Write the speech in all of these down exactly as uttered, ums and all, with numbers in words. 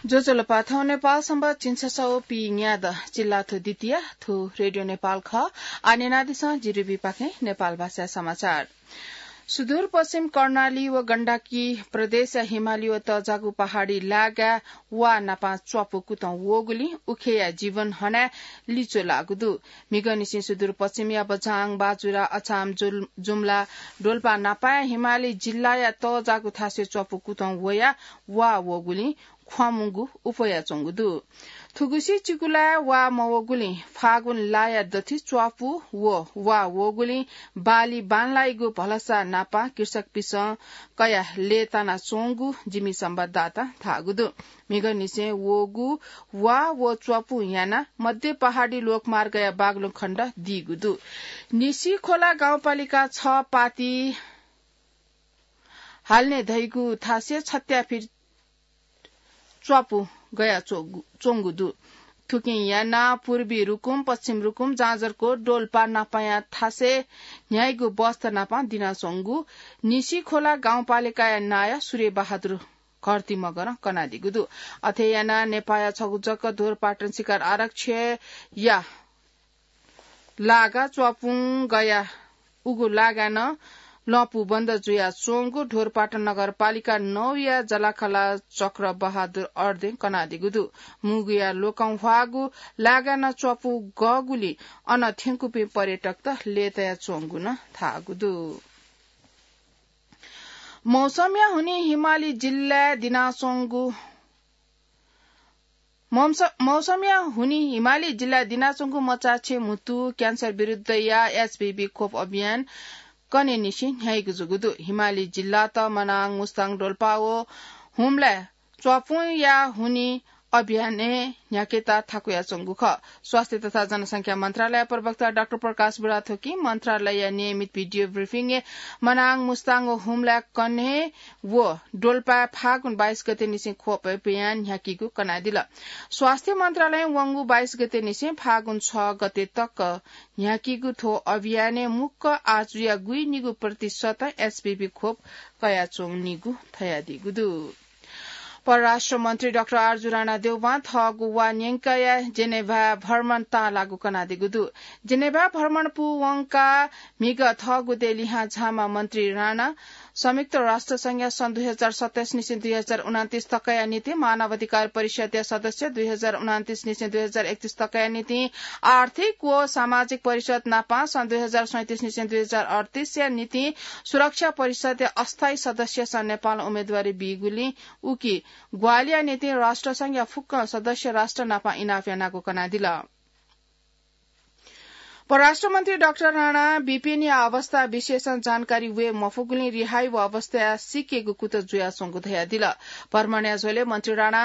ज्वजलपा, थौं नेपाल संवत् झिंछसः व पीन्यादँ चिल्लाथ्व द्वितीया, थ्व रेडियो नेपाल खः। आः न्यनादिसँ जिरिबीपाखें नेपाल भाषा समाचार। सुदूरपश्चिम कर्णाली व गण्डकी प्रदेशया हिमाली व तःजाःगु पहाडी लागाय् वा नापं च्वापु कुतं वःगुलिं उखेया जीवन हनाय् लिच्वः लाःगु दु। म्हिगःनिसें सुदूरपश्चिमया बझाङ, बाजुरा, अछाम, जुल-, जुम्ला, डोल्पा नापंया हिमाली जिल्लाया तःजाःगु थासय् च्वापु कुतं वयाः वा वःगुलिं ख्वामुंगु उपयाच्वंगु दु। थुगुसी चिकुलाय् वा मवःगुलिं फागुन लाया दथुइ च्वापु व वा वःगुलिं बाली बांलाइगु भलसा नापं कृषकपिन्सं कयाः लय्तानाच्वंगु जिमि संवाददातां धाःगु दु। म्हिगःनिसें वःगु वा व च्वापु यानाः मध्य पहाडी लोकमार्गया बागलुङ खण्ड दीगु दु। निसिखोला गाउँपालिका छ पाति हाल्ने धइगु थासय् छत्याफिट च्वापु गया च्वंगु, च्वंगु दु। थुकिं यानाः पूर्वी रुकुम, पश्चिम रुकुम, जाजरकोट, डोल्पा नापंया थासय् न्ह्याइगु बस्त नापं दिनाच्वंगु निसिखोला गाउँपालिकाया नायः सूर्यबहादुर घरती मगरं कनादीगु दु। अथे यानाः नेपाःया छगू जक ढोरपाटन शिकार आरक्षया लागा च्वापुं गया उगु लागाय् नं लँपु बन्द जुयाच्वंगु ढोरपाटन नगरपालिका नौया जलाखला चक्रबहादुर अर्दें कनादीगु दु। मुगुया लोकं ह्वाःगु लागाय् नं च्वापु गःगुलिं अन थ्यंकूपिं पर्यटकत लय्तायाच्वंगु नं धाःगु दु। मौसमया हुनिं हिमाली जिल्लाय् दिनाच्वंगु मौस-, मौसमया हुनिं हिमाली जिल्लाय् दिनाच्वंगु मचाछेँ म्हुतु क्यान्सर विरुद्धया एचपीभी खोप अभियान कन्हय्निसें न्ह्याइगु जूगु दु। हिमाली जिल्लात मनाङ, मुस्ताङ, डोल्पा व हुम्लाय् च्वापुंया हुनिं अभियानय् न्ह्याकेत थाकुयाच्वंगु खः। स्वास्थ्य तथा जनसंख्या मन्त्रालय प्रवक्ता डाक्टर प्रकाश बुढाथोकीं मन्त्रालयया नियमित भिडियो ब्रिफिङय् मनाङ, मुस्ताङ व हुम्लाय् कन्हय् व डोल्पाय् फागुन बाइस गतेनिसें खोप अभियान न्ह्याकीगु कनादिल। स्वास्थ्य मन्त्रालयं वंगु बाइस गतेनिसें फागुन छ गते तक न्ह्याकीगु थ्व अभियानय् मुक्क आजुया गुइनिगू प्रतिशत एचपीभी खोप कयाच्वंनिगु धयादीगु दु। परराष्ट्र मन्त्री डाक्टर आरजु राणा देउवां थःगु वा न्यंकया जेनेभा भ्रमण ताःलाःगु कनादीगु दु। जेनेभा भ्रमण पूवंकाः म्हिगः थःगु देय् लिहां झाःम्ह मन्त्री राणा संयुक्त राष्ट्र संघया सन् दुई हजार सत्ताइस निसें दुई हजार उनान्तिस तकया निंतिं, मानवाधिकार परिषदया सदस्य दुई हजार उनान्तिस निसें दुई हजार एकतिस तकया निंतिं, आर्थिक व सामाजिक परिषद नापं सन् दुई हजार सैंतिस निसें दुई हजार अड्तिसया निंतिं सुरक्षा परिषदया अस्थायी सदस्यसं नेपालं उम्मेदवारी बीगुलिं उकी ग्वाहालिया निंतिं राष्ट्रसंघया फुक्क सदस्य राष्ट्र नापं इनाप यानागु कनादिल। परराष्ट्र मन्त्री डाक्टर राणा बिपिनया अवस्था विशेषं जानकारी वये मफुगुलिं रिहाइ व अवस्था सीकेगु कुतः जुयाच्वंगु धयादिल। भ्रमणया झ्वलय् मन्त्री राणा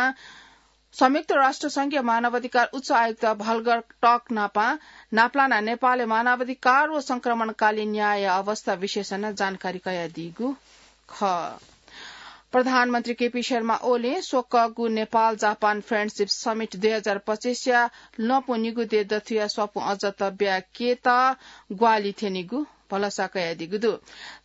संयुक्त राष्ट्र संघया मानवाधिकार उच्च आयुक्त भल्गर टर्क नापं नापलानाः नेपालय् मानवाधिकार व संक्रमणकालीन न्याय अवस्था विशेषं जानकारी कयादीगु खः। प्रधानमन्त्री केपी शर्मा ओलीं स्वकःगु नेपाल जापान फ्रेन्डसिप समिट दुई हजार पच्चिसया लँपु निगू देय् दथुया स्वापु अझ तब्याकेत ग्वाहालि थ्यनीगु भलसा कयादीगु दु।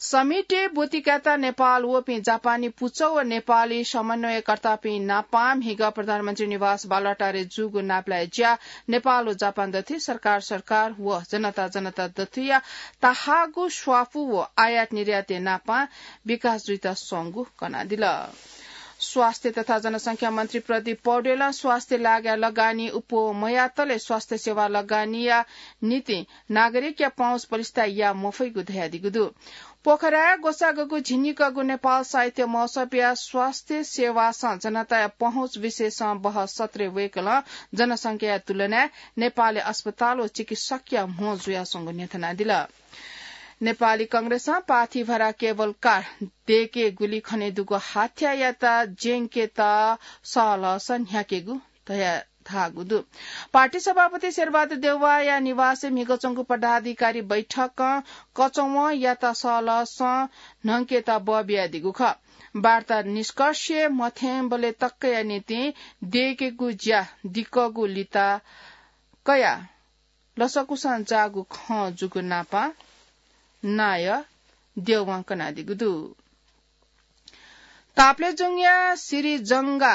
समिटय् ब्वति कायेत नेपाल वःपिं जापानी पुचः व नेपाली समन्वयकर्तापिं नापं म्हिगः प्रधानमन्त्री निवास बालुवाटारय् जूगु नापलाये ज्या नेपाल व जापान दथुइ सरकार सरकार व जनता जनता दथुइया ताहाःगु स्वापु व आयात निर्यातय् नापं विकास जुइत स्वंगु कनादिल। स्वास्थ्य तथा जनसंख्या मन्त्री प्रदीप पौडेलं स्वास्थ्य लागाय् लगानी अप्वः मयातले स्वास्थ्य सेवा लगानीया निंतिं नागरिकया पहुँच पलिस्था याये मफइगु धयादीगु दु। पोखराय् ग्वसाःगु झिंनिकःगु नेपाल साहित्य महोत्सवया स्वास्थ्य सेवासं जनताया पहुँच विषयसं बहस सत्रय् वय्कलं जनसंख्याया तुलनाय् नेपालय् अस्पताल व चिकित्सकया म्हो जुयाच्वंगु न्ह्यथनादिल। नेपाली कंग्रेसं पाथिभरा केबल कार दयेकेगुली खनेदुगु हाथ्यायात ज्यंकेत सहलहसं न्ह्याकेगु धया धाःगु दु। पार्टी सभापति शेरबहादुर देउवाया निवासय् म्हिगः च्वंगु पदाधिकारी बैठकं कचवंयात सहलहसं न्हंकेत बः बियादीगु खः। वार्ता निष्कर्षय् मथ्यंबलय् तकया निंतिं दयेकेगु ज्या दिक्कगु लिता कयाः लसकुसं जाःगु खँ जूगु नापं नायः देउवां कनादीगु दु। ताप्लेजुङया सिरिजंगा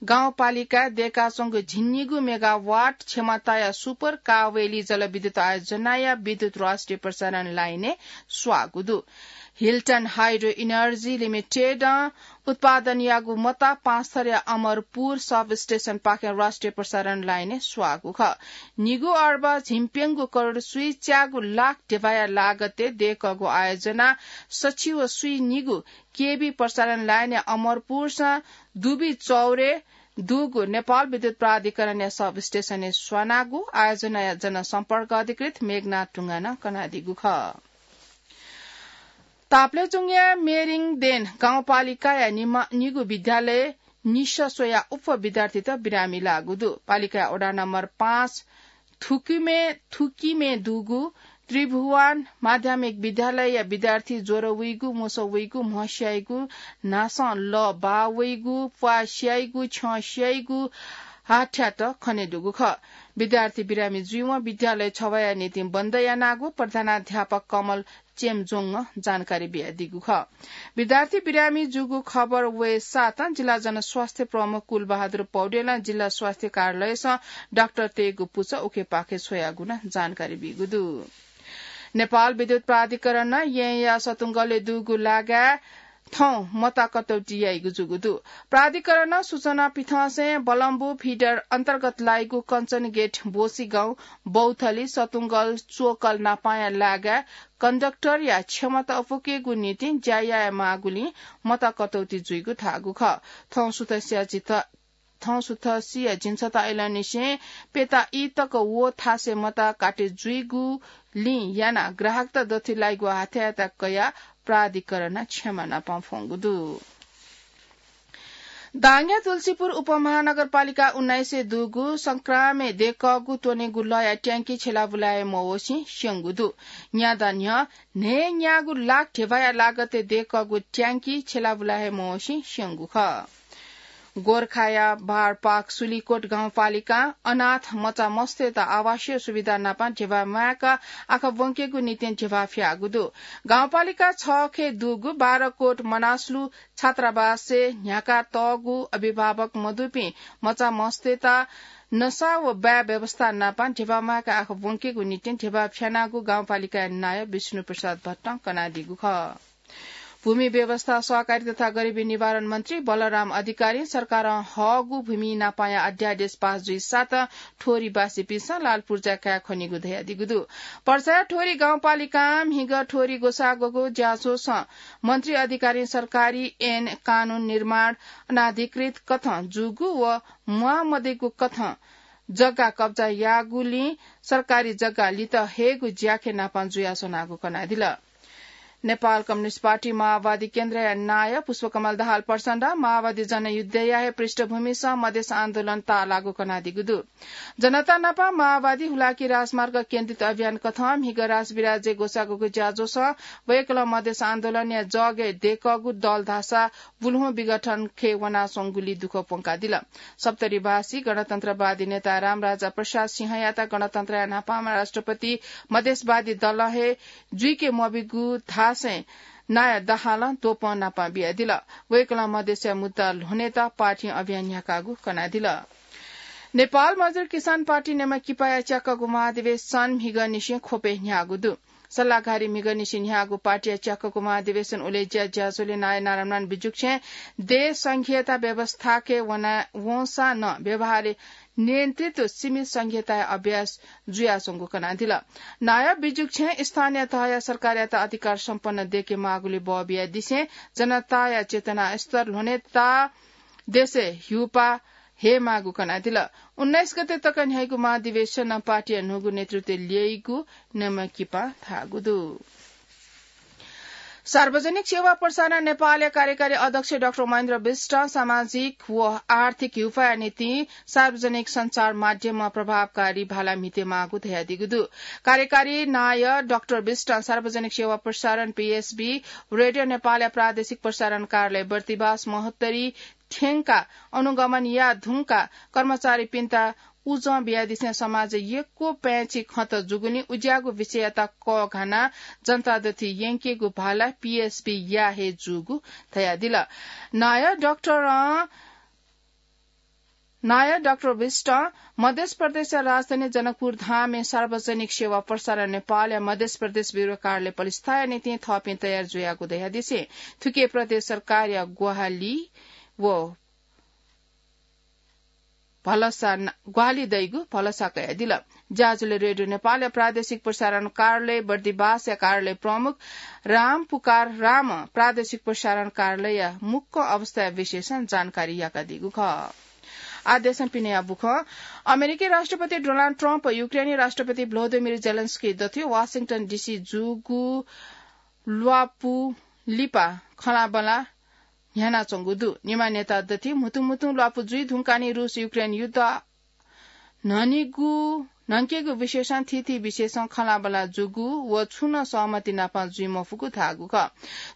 गाउँपालिकाय् दय्काच्वंगु झिंनिगू मेगावाट क्षमताया सुपर कावेली जलविद्युत आयोजनाया विद्युत राष्ट्रिय प्रसारण लाइनय् स्वाःगु दु। हिल्टन हाइड्रो इनर्जी लिमिटेडं उत्पादन याःगु मता पाँचथरया अमरपुर सबस्टेशनपाखें राष्ट्रिय प्रसारण लाइनय् स्वाःगु खः। निगू अर्ब झिंप्यंगू करोड स्वीच्यागू लाख ध्यबाया लागतय् दय्कःगु आयोजना सछि व स्वीनिगू केबी प्रसारण लाइनया अमरपुरसं दुबी चौरे दुगु नेपाल विद्युत प्राधिकरणया सबस्टेशनय् स्वानागु आयोजनाया जनसम्पर्क अधिकृत मेघनाथ ढुङ्गानं कनादीगु खः। ताप्लेजुङया मेरिङदेन गाउँपालिकाया निमा-, निगू विद्यालय निसः स्वयाः उप्वः विद्यार्थीत बिरामी लाःगु दु। पालिकाया वडा नम्बर पाँच थुकिमे, थुकिमे दुगु त्रिभुवन माध्यमिक विद्यालयया विद्यार्थी ज्वर वइगु, मोसः वइगु, म्ह स्याइगु, न्हासं लः बाः वइगु, प्वाः स्याइगु, छ्यं स्याइगु, हाथ्यात खनेदुगु खः। विद्यार्थी बिरामी जुइवं विद्यालय छवाया निंतिं बन्द यानागु प्रधानाध्यापक कमल चेम्जोङं जानकारी बियादीगु खः। विद्यार्थी बिरामी जूगु खबर वये साथं जिल्ला जनस्वास्थ्य प्रमुख कुलबहादुर पौडेलं जिल्ला स्वास्थ्य कार्यालयसं डाक्टरतय्गु पुचः उखेपाखे छ्वयागु नं जानकारी बीगु दु। नेपाल विद्युत प्राधिकरणं येँया सतुंगलय् दुगु लागाय् थौं मता कटौती याइगु जूगु दु। प्राधिकरणं सूचना पिथंसें बलम्बु फिडर अन्तर्गत लाइगु कञ्चनगेट, बोसीगाउँ, बौथली, सतुंगल, चोकल नापांया लागाय् कन्डक्टरया क्षमता अपुकेगु निंतिं ज्या याये माःगुलिं मता कटौती जुइगु धाःगु खः। थौं सुथसिया झित-, थौं सुथसिया झिंछता अय्लंनिसें प्यता ई तक व थासय् मता काटे जुइगुलिं यानाः ग्राहकत दथुइ लाइगु हाथ्यायात कयाः प्राधिकरणं क्षमा नापं फ्वंगु दु। दाङया तुलसीपुर उपमहानगरपालिका उन्नाइसय् दुगु संक्रामय् दय्कःगु त्वनेगु लःया ट्याङ्की छ्यलाबुलाये मवःसें स्यंगु दु। न्यादँ न्ह्यः न्हय्न्यागू लाख ध्यबाया लागतय् दय्कःगु ट्याङ्की छ्यलाबुला हे मवःसें स्यंगु खः। गोरखाया बारपाक सुलिकोट गाउँपालिकां अनाथ मचा मस्तय्त आवासीय सुविधा नाप ध्यबा म्वायेक आखा ब्वंकेगु निंतिं ध्यबा फ्याःगु दु। गाउँपालिका छखे दुगु बारकोट मनास्लु छात्रावासय् न्ह्याका तःगु अभिभावक मदुपिं मचा मस्तय्त नसा व बाय् व्यवस्था नाप ध्यबा म्वायेक आखा ब्वंकेगु निंतिं ध्यबा फ्यानागु गाउँपालिकाया नायः विष्णु प्रसाद भट्टं कनादीगु खः। भूमि व्यवस्था, सहकारी तथा गरिबी निवारण मन्त्री बलराम अधिकारीं सरकारं हःगु भूमि नापाया अध्यादेश पास जुइसाथं ठोरीवासीपिन्सं लालपुर्जा काये खनीगु धयादीगु दु। पर्सा ठोरी गाउँपालिकां म्हिगः ठोरी ग्वसाः ग्वःगु ज्याझ्वलय् मन्त्री अधिकारीं सरकारी ऐन कानून निर्माण अनाधिकृत कथं जूगु व म्वाः मदइगु कथं जग्गा कब्जा याःगुलिं सरकारी जग्गा लित हयेगु ज्याखँय् नाप जुयाच्वनागु कनादिल। नेपाल कम्युनिस्ट पार्टी माओवादी केन्द्रया नायः पुष्पकमल दाहाल प्रचण्डं माओवादी जनयुद्धया हे पृष्ठभूमिसं मधेस आन्दोलन ताःलाःगु कनादीगु दु। जनता नाप माओवादी हुलाकी राजमार्ग केन्द्रित अभियान कथं म्हिगः राजविराजय् ग्वसाः ग्वःगु ज्याझ्वलय् वय्कलं मधेस आन्दोलनया जगय् दय्कःगु दल धाःसा बुल्हुँ विघटनखे वनाच्वंगुलिइ दुःख प्वंकादिल। सप्तरीवासी गणतन्त्रवादी नेता रामराजा प्रसाद सिंहयात गणतन्त्रया न्हापांम्ह राष्ट्रपति मधेसवादी दलं हे जुइके मब्यूगु धासें नायः दाहालं द्वपं नाप बियादिल। वय्कलं मधेसया मुद्दा ल्ह्वनेत पार्टीं अभियान न्ह्याकागु कनादिल। नेपाल मजदुर किसान पार्टी नेमकिपाया च्याकःगु महाधिवेशन म्हिगःनिसें ख्वपय् न्ह्याःगु दु। सल्लाहकारी म्हिगःनिसें न्ह्याःगु पार्टीया च्याकःगु महाधिवेशन उलेज्या ज्याझ्वलय् नायः नारायणमान बिजुक्छें देय् संघीयता व्यवस्थाके वना वंसां नं व्यवहारय् नियन्त्रित व सीमित संघीयताया अभ्यास जुयाच्वंगु कनादिल। नायः बिजुक्छें स्थानीय तहया सरकारयात अधिकार सम्पन्न दय्के माःगुलिइ बः बियादिसें जनताया चेतना स्तर ल्ह्वनेत देशय् ह्युपाः हयेमाःगु कनादिल। उन्नाइस गते तक न्ह्याइगु महाधिवेशनं पार्टीया न्हूगु नेतृत्व ल्यइगु नेमकिपां धाःगु दु। सार्वजनिक सेवा प्रसारण नेपालया कार्यकारी अध्यक्ष डाक्टर महेन्द्र विष्टं सामाजिक व आर्थिक ह्युपाया निंतिं सार्वजनिक सञ्चार माध्यममा प्रभावकारी भाला म्हितेमाःगु धयादीगु दु। कार्यकारी नायः डाक्टर विष्टं सार्वजनिक सेवा प्रसारण, पीएसबी, रेडियो नेपालया प्रादेशिक प्रसारण कार्यालय बर्दिबास महोत्तरी थ्यंकाः अनुगमन याये धुंकाः कर्मचारीपिन्त उजं बियादिसें समाजय् यक्व पाय्छि खँत जूगुलिं उज्याःगु विषययात कःघानाः जनता दथुइ यंकेगु भाला पीएसबीया हे जूगु धयादिल। नायः डाक्टरं नायः डाक्टर विष्ट मध्य प्रदेशया राजधानी जनकपुर धामय् सार्वजनिक सेवा प्रसारण नेपालया मध्य प्रदेश ब्यूरो कार्यालय पलिस्थाया निंतिं थःपिं तयार जुयागु धयादिसें थुके प्रदेश सरकारया ग्वाहालि व भलसा न-, ग्वाहालि दइगु भलसा कयादिल। ज्याझ्वलय् रेडियो नेपालया प्रादेशिक प्रसारण कार्यालय बर्दिवासया कार्यालय प्रमुख राम पुकार राम प्रादेशिक प्रसारण कार्यालयया मुक्क अवस्था विशेषं जानकारी याकादीगु खः। आदेशं पिनेया बुखं अमेरिकी राष्ट्रपति डोनाल्ड ट्रम्प युक्रेनी राष्ट्रपति भ्लोदिमिर जेलेन्स्की दथुइ वाशिंगटन डिसी जूगु ल्वापु लिपा खँल्हाबल्हा न्ह्यानाच्वंगु दु। निम्ह नेता दथुइ म्हुतुं म्हुतुं ल्वापु जुइ धुंकानि रूस युक्रेन युद्ध न्हनिगु, न्हंकेगु विषयसं थीथी विषयसं खँल्हाबल्हा जूगु व छुं नं सहमति नाप जुइ मफुगु धाःगु खः।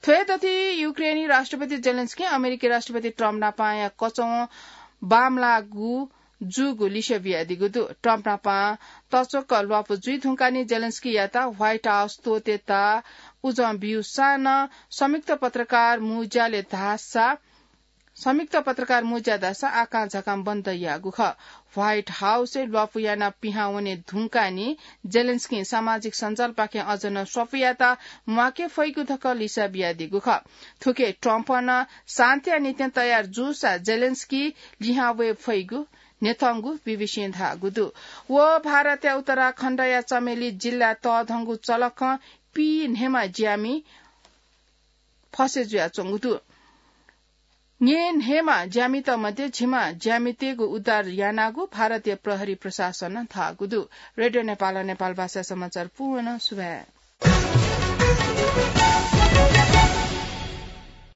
थ्व हे दथुइ युक्रेनी राष्ट्रपति जेलेन्स्की अमेरिकी राष्ट्रपति ट्रम्प नापया कचवं बांमलाःगु जूगु लिसे बियादीगु दु। ट्रम्प नाप तच्वक ल्वापु जुइ धुंकानि जेलेन्स्कीयात व्हाइट हाउस त्वःतेत उजं ब्यूसां नं संयुक्त पत्रकार मुज्याले धाःसा, संयुक्त पत्रकार मुज्या धाःसा आकां झाकां बन्द याःगु खः। व्हाइट हाउसय् ल्वापु यानाः पिहां वने धुंकानि जेलेन्स्कीं सामाजिक सञ्जालपाखें अझ नं स्वापुयात म्वाके फइगु धकाः लिसा बियादीगु खः। थुके ट्रम्पं नं शान्तिया निंतिं तयार जूसा जेलेन्स्की लिहां वये फइगु न्ह्यथंगु बीबीसीं धाःगु दु। व भारतया उत्तराखण्डया चमेली जिल्ला तःधंगु चलखं पीन्हय्मा ज्यामि फसे जुयाच्वंगु दु। न्येन्हय्मा ज्यामित मध्ये झिम्मा ज्यामितय्गु उद्धार यानागु भारतीय प्रहरी प्रशासनं धाःगु दु। रेडियो नेपालं नेपाल भाषा समाचार पूवं सुभाय्।